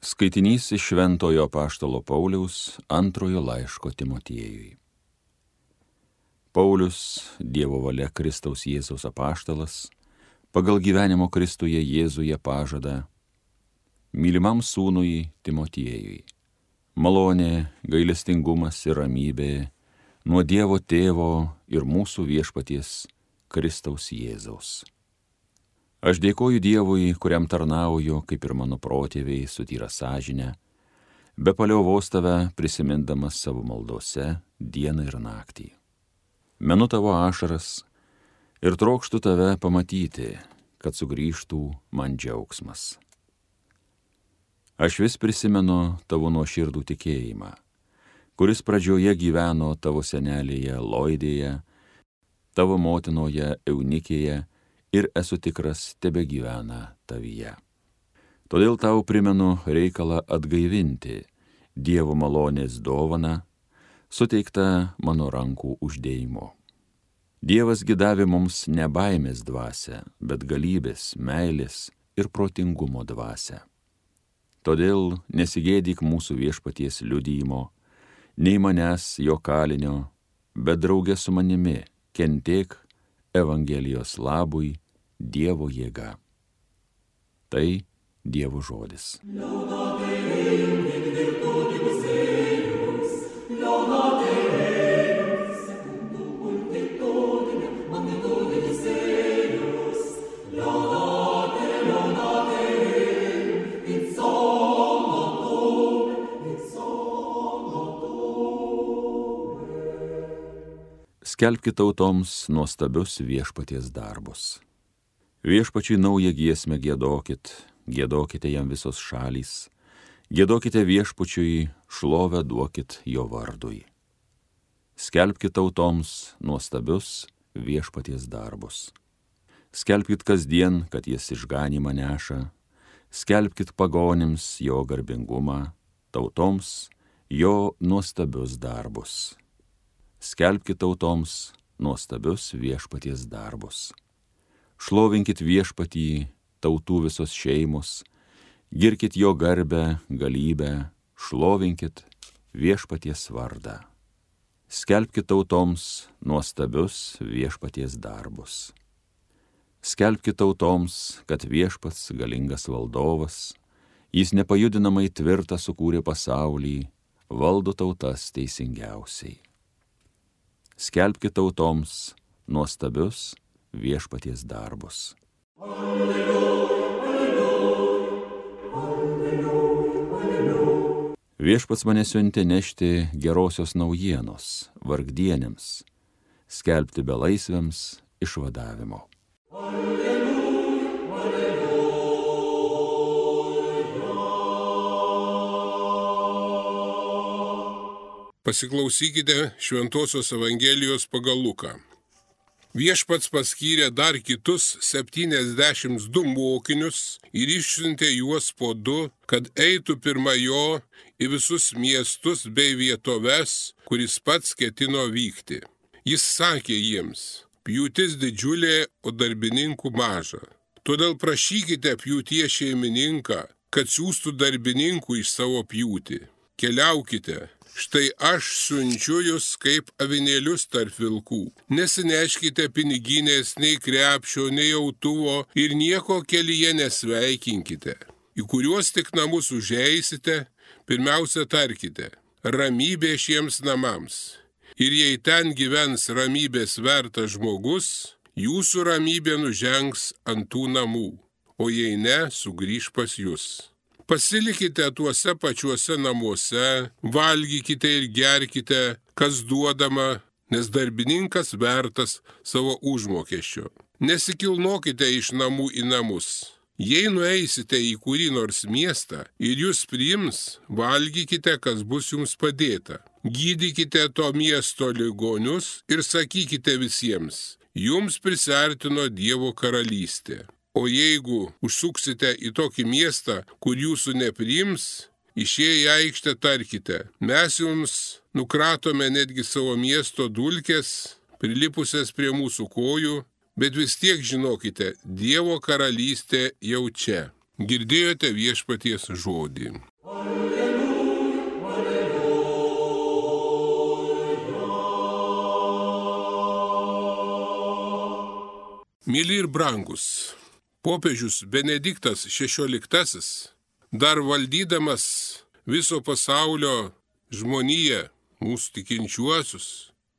Skaitinys iš Šventojo apaštalo Pauliaus antrojo laiško Timotiejui. Paulius, Dievo valia Kristaus Jėzaus apaštalas, pagal gyvenimo Kristuje Jėzuje pažada, mylimam sūnui Timotiejui, malonė, gailestingumas ir ramybė nuo Dievo Tėvo ir mūsų viešpaties Kristaus Jėzaus. Aš dėkoju Dievui, kuriam tarnauju, kaip ir mano protėviai, su tyra sąžine, be paliovos tave prisimindamas savo maldose dieną ir naktį. Menu tavo ašaras ir trokštu tave pamatyti, kad sugrįžtų man džiaugsmas. Aš vis prisimenu tavo nuoširdų tikėjimą, kuris pradžioje gyveno tavo senelėje Loidėje, tavo motinoje Eunikėje, ir esu tikras, tebegyvena tavyje. Todėl tau primenu reikalą atgaivinti Dievo malonės dovaną, suteiktą mano rankų uždėjimu. Dievas gi davė mums ne baimės dvasią, bet galybės, meilės ir protingumo dvasią. Todėl nesigėdyk mūsų viešpaties liudijimo, nei manęs jo kalinio, bet drauge su manimi kentėk Evangelijos labui Dievo jėga. Tai Dievo žodis. Skelbkite tautoms nuostabius viešpaties darbus. Viešpačiui naują giesmę giedokit, giedokite jam visos šalys, giedokite viešpačiui, šlovę duokit jo vardui. Skelbkite tautoms nuostabius viešpaties darbus. Skelbkit kasdien, kad jis išganymą neša, skelbkit pagonims jo garbingumą, tautoms jo nuostabius darbus. Skelbkit tautoms nuostabius viešpaties darbus. Šlovinkit viešpatį, tautų visos šeimos, girkit jo garbę, galybę, šlovinkit viešpaties vardą. Skelbkit tautoms nuostabius viešpaties darbus. Skelbkit tautoms, kad viešpats galingas valdovas, jis nepajudinamai tvirtą sukūrė pasaulį, valdo tautas teisingiausiai. Skelbkit tautoms nuostabius viešpaties darbus. Alleluja, alleluja, alleluja, alleluja. Viešpats mane siuntė nešti gerosios naujienos vargdienėms, skelbti belaisviams išvadavimo. Alleluja, alleluja. Pasiklausykite Šventosios Evangelijos pagal Luką. Viešpats paskyrė dar kitus 72 mokinius ir išsiuntė juos po 2, kad eitų pirma jo į visus miestus bei vietoves, kuris pats ketino vykti. Jis sakė jiems: pjūtis didžiulė, o darbininkų maža. Todėl prašykite pjūties šeimininką, kad siųstų darbininkų iš savo pjūtį. Keliaukite. Štai aš siunčiu jūs kaip avinėlius tarp vilkų. Nesineškite piniginės, nei krepšio, nei autuvo ir nieko kelyje nesveikinkite. Į kuriuos tik namus užeisite, pirmiausia tarkite: ramybė šiems namams. Ir jei ten gyvens ramybės vertas žmogus, jūsų ramybė nužengs ant tų namų, o jei ne, sugrįš pas jūs. Pasilikite tuose pačiuose namuose, valgykite ir gerkite, kas duodama, nes darbininkas vertas savo užmokesčio. Nesikilnokite iš namų į namus. Jei nueisite į kurį nors miestą ir jūs priims, valgykite, kas bus jums padėta. Gydykite to miesto ligonius ir sakykite visiems: jums prisiartino Dievo karalystė. O jeigu užsuksite į tokį miestą, kur jūsų nepriims, išėję į aikštę tarkite: mes jums nukratome netgi savo miesto dulkes, prilipusias prie mūsų kojų, bet vis tiek žinokite, Dievo karalystė jau čia. Girdėjote viešpaties žodį. Myli ir brangus, popiežius Benediktas XVI, dar valdydamas viso pasaulio žmoniją, mūsų tikinčiuosius,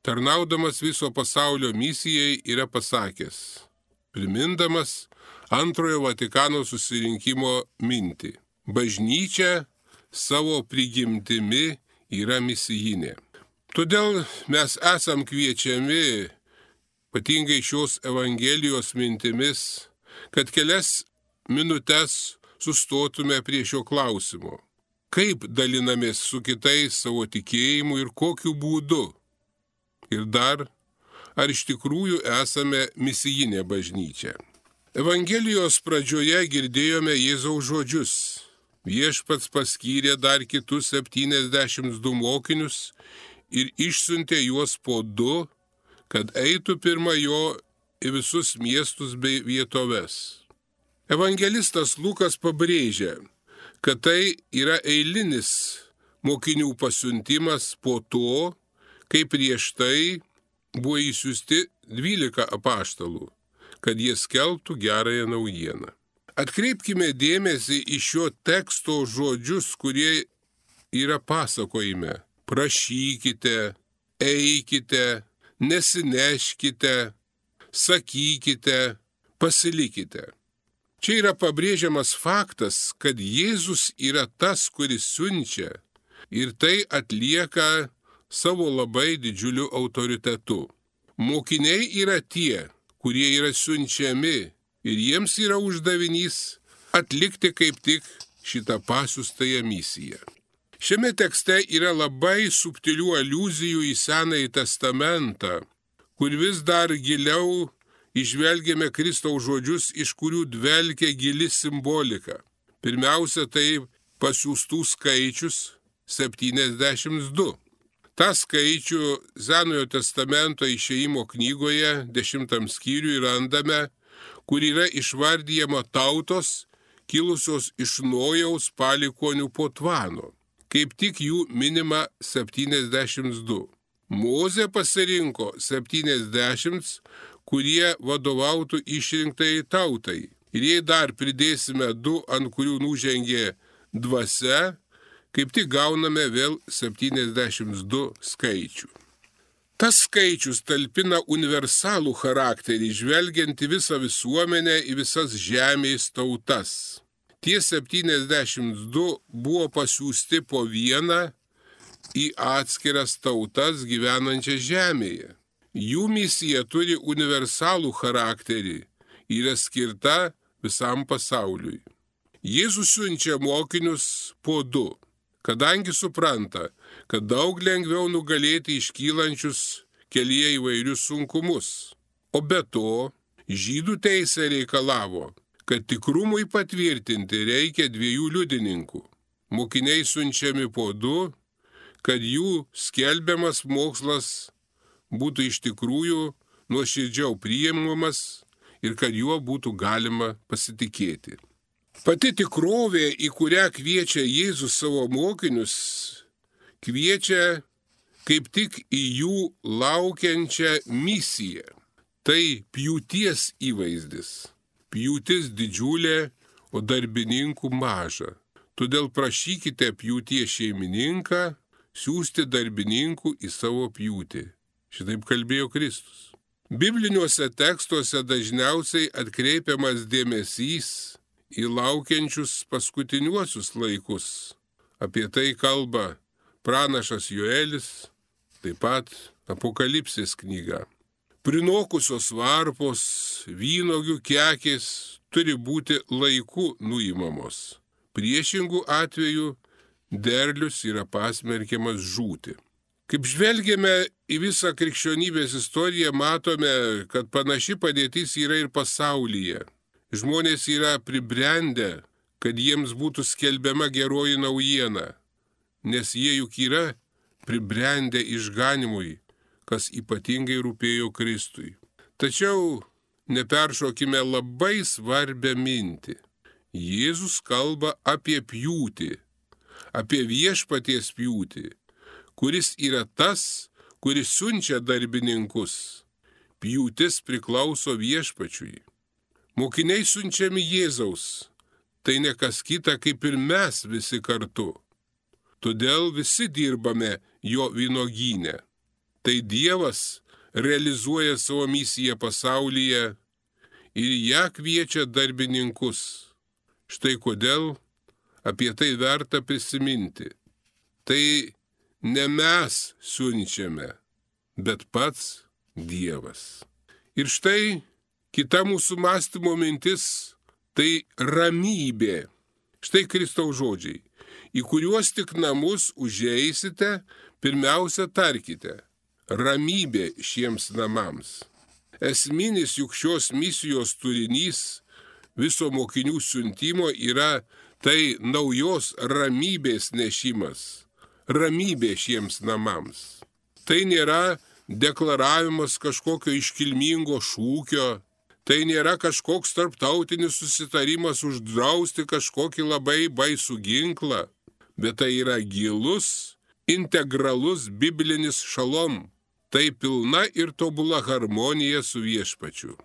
tarnaudamas viso pasaulio misijai, yra pasakęs, primindamas Antrojo Vatikano susirinkimo mintį. Bažnyčia savo prigimtimi yra misijinė. Todėl mes esam kviečiami, ypatingai šios Evangelijos mintimis, kad kelias minutes sustotume prie šio klausimo. Kaip dalinamės su kitais savo tikėjimu ir kokiu būdu? Ir dar, ar iš tikrųjų esame misijinė bažnyčia? Evangelijos pradžioje girdėjome Jėzaus žodžius. Viešpats paskyrė dar kitus 72 mokinius ir išsiuntė juos po 2, kad eitų pirma jo į visus miestus bei vietoves. Evangelistas Lukas pabrėžia, kad tai yra eilinis mokinių pasiuntimas po to, kai prieš tai buvo išsiųsti 12 apaštalų, kad jie skelbtų gerąją naujieną. Atkreipkime dėmesį į šio teksto žodžius, kurie yra pasakojime. Prašykite, eikite, nesineškite, sakykite, pasilikite. Čia yra pabrėžiamas faktas, kad Jėzus yra tas, kuris siunčia ir tai atlieka savo labai didžiuliu autoritetu. Mokiniai yra tie, kurie yra siunčiami ir jiems yra uždavinys atlikti kaip tik šitą pasiųstąją misiją. Šiame tekste yra labai subtilių aliuzijų į Senąjį testamentą, kur vis dar giliau įžvelgiame Kristaus žodžius, iš kurių dvelkia gili simbolika. Pirmiausia, tai pasiųstų skaičius 72. Ta skaičių Senojo testamento Išėjimo knygoje 10 skyriui randame, kur yra išvardyjama tautos, kilusios iš Nojaus palikuonių po Tvano. Kaip tik jų minima 72. Mozė pasirinko 70, kurie vadovautų išrinktai tautai. Ir jei dar pridėsime 2, ant kurių nužengė dvasia, kaip tik gauname vėl 72 skaičių. Tas skaičius talpina universalų charakterį, žvelgiant į visą visuomenę, į visas žemės tautas. Tie 72 buvo pasiųsti po vieną į atskiras tautas gyvenančias žemėje. Jų misija turi universalų charakterį, yra skirta visam pasauliui. Jėzus siunčia mokinius po 2. Kadangi supranta, kad daug lengviau nugalėti iškylančius kelyje įvairius sunkumus. O be to, žydų teisė reikalavo, kad tikrumui patvirtinti reikia 2 liudininkų. Mokiniai siunčiami po 2, kad jų skelbiamas mokslas būtų iš tikrųjų nuoširdžiau priimamas ir kad juo būtų galima pasitikėti. Pati tikrovė, į kurią kviečia Jėzus savo mokinius, kviečia kaip tik į jų laukiančią misiją. Tai pjūties įvaizdis. Pjūtis didžiulė, o darbininkų maža. Todėl prašykite pjūties šeimininką siųsti darbininkų į savo pjūtį. Šitaip kalbėjo Kristus. Bibliniuose tekstuose dažniausiai atkreipiamas dėmesys į laukiančius paskutiniuosius laikus. Apie tai kalba pranašas Joelis, taip pat Apokalipsės knyga. Prinokusios varpos, vynuogių kekės turi būti laiku nuimamos. Priešingų atveju derlius yra pasmerkiamas žūti. Kaip žvelgiame į visą krikščionybės istoriją, matome, kad panaši padėtis yra ir pasaulyje. Žmonės yra pribrendę, kad jiems būtų skelbiama geroji naujiena, nes jie juk yra pribrendę išganimui, kas ypatingai rūpėjo Kristui. Tačiau neperšokime labai svarbią mintį. Jėzus kalba apie pjūtį, apie viešpaties pjūtį, kuris yra tas, kuris siunčia darbininkus. pjūtis priklauso Viešpačiui. Mokiniai siunčiami Jėzaus, tai ne kas kita kaip ir mes visi kartu. Todėl visi dirbame jo vynuogyne. Tai Dievas realizuoja savo misiją pasaulyje ir ją kviečia darbininkus. Štai kodėl apie tai verta prisiminti. Tai ne mes siunčiame, bet pats Dievas. Ir štai kita mūsų mąstymo mintis – tai ramybė. Štai Kristaus žodžiai, į kuriuos tik namus užeisite, pirmiausia tarkite – ramybė šiems namams. Esminis juk šios misijos turinys viso mokinių siuntimo yra tai naujos ramybės nešimas, ramybė šiems namams. Tai nėra deklaravimas kažkokio iškilmingo šūkio, tai nėra kažkoks tarptautinis susitarimas uždrausti kažkokį labai baisų ginklą, bet tai yra gilus, integralus biblinis šalom. Tai pilna ir tobula harmonija su Viešpačiu.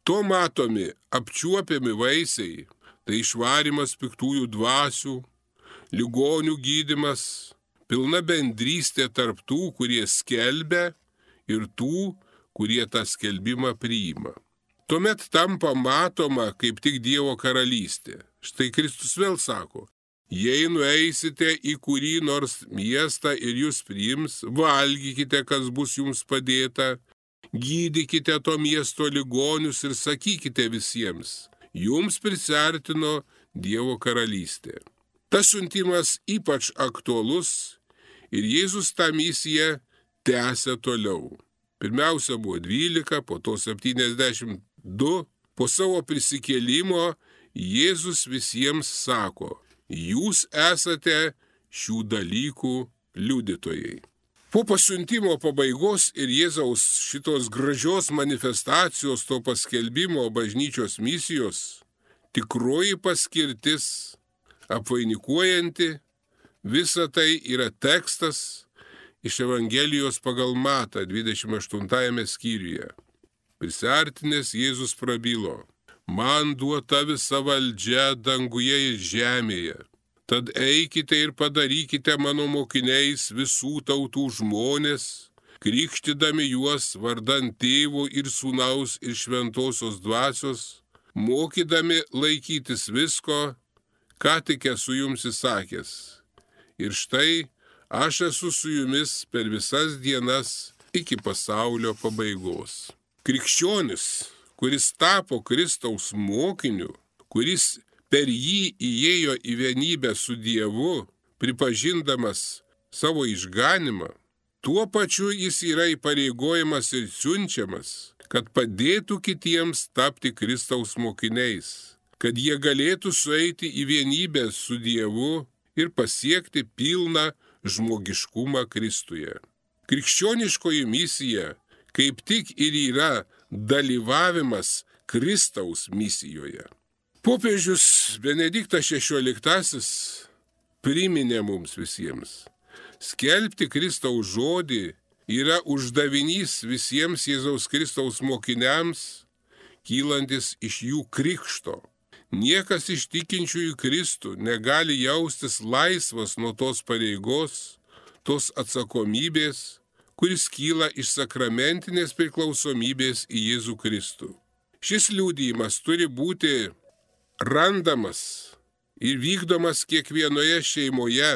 To matomi, apčiuopiami vaisiai, tai išvarimas piktųjų dvasių, ligonių gydymas, pilna bendrystė tarp tų, kurie skelbia, ir tų, kurie tą skelbimą priima. Tuomet tampa matoma kaip tik Dievo karalystė. Štai Kristus vėl sako, jei nueisite į kurį nors miestą ir jūs priims, valgykite, kas bus jums padėta, gydykite to miesto ligonius ir sakykite visiems, jums prisiartino Dievo karalystė. Tas siuntimas ypač aktualus ir Jėzus tą misiją tęsia toliau. Pirmiausia buvo 12, po to 72. Po savo prisikėlimo Jėzus visiems sako, jūs esate šių dalykų liudytojai. Po pasiuntimo pabaigos ir Jėzaus šitos gražios manifestacijos to paskelbimo bažnyčios misijos, tikroji paskirtis, apvainikuojanti, visa tai yra tekstas iš Evangelijos pagal Matą 28 skyriuje. Prisiartinęs Jėzus prabilo, man duota visa valdžia danguje ir žemėje. Tad eikite ir padarykite mano mokiniais visų tautų žmonės, krikštydami juos vardan Tėvo ir Sūnaus ir Šventosios Dvasios, mokydami laikytis visko, ką tik esu jums įsakęs. Ir štai, aš esu su jumis per visas dienas iki pasaulio pabaigos. Krikščionis, kuris tapo Kristaus mokiniu, kuris per jį įėjo į vienybę su Dievu, pripažindamas savo išganimą, tuo pačiu jis yra įpareigojamas ir siunčiamas, kad padėtų kitiems tapti Kristaus mokiniais, kad jie galėtų sueiti į vienybę su Dievu ir pasiekti pilną žmogiškumą Kristuje. Krikščioniškoji misija kaip tik ir yra dalyvavimas Kristaus misijoje. Popiežius Benediktas XVI priminė mums visiems. Skelbti Kristaus žodį yra uždavinys visiems Jėzaus Kristaus mokiniams, kylantis iš jų krikšto. Niekas iš tikinčiųjų Kristų negali jaustis laisvas nuo tos pareigos, tos atsakomybės, kuris kyla iš sakramentinės priklausomybės į Jėzų Kristų. Šis liudijimas turi būti randamas ir vykdomas kiekvienoje šeimoje,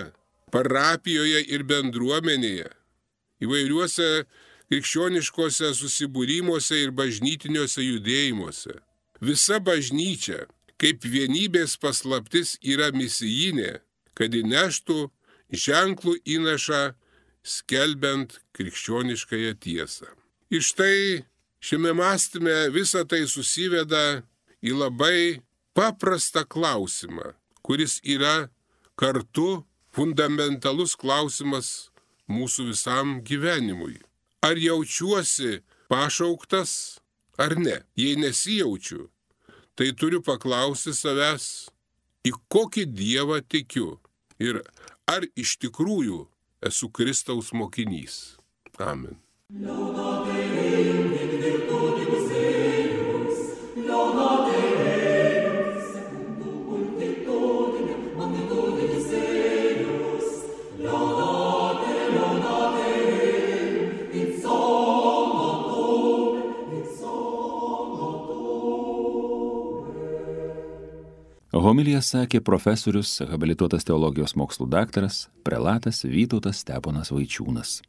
parapijoje ir bendruomenėje, įvairiuose krikščioniškose susibūrimuose ir bažnytiniuose judėjimuose. Visa bažnyčia kaip vienybės paslaptis yra misijinė, kad įneštų ženklų įnašą skelbiant krikščioniškąją tiesą. Ir štai šiame mąstyme visa tai susiveda į labai paprastą klausimą, kuris yra kartu fundamentalus klausimas mūsų visam gyvenimui. Ar jaučiuosi pašauktas ar ne? Jei nesijaučiu, tai turiu paklausti savęs, į kokį Dievą tikiu ir ar iš tikrųjų esu Kristaus mokinys. Amen. Homiliją sakė profesorius, habilituotas teologijos mokslų daktaras, prelatas Vytautas Steponas Vaičiūnas.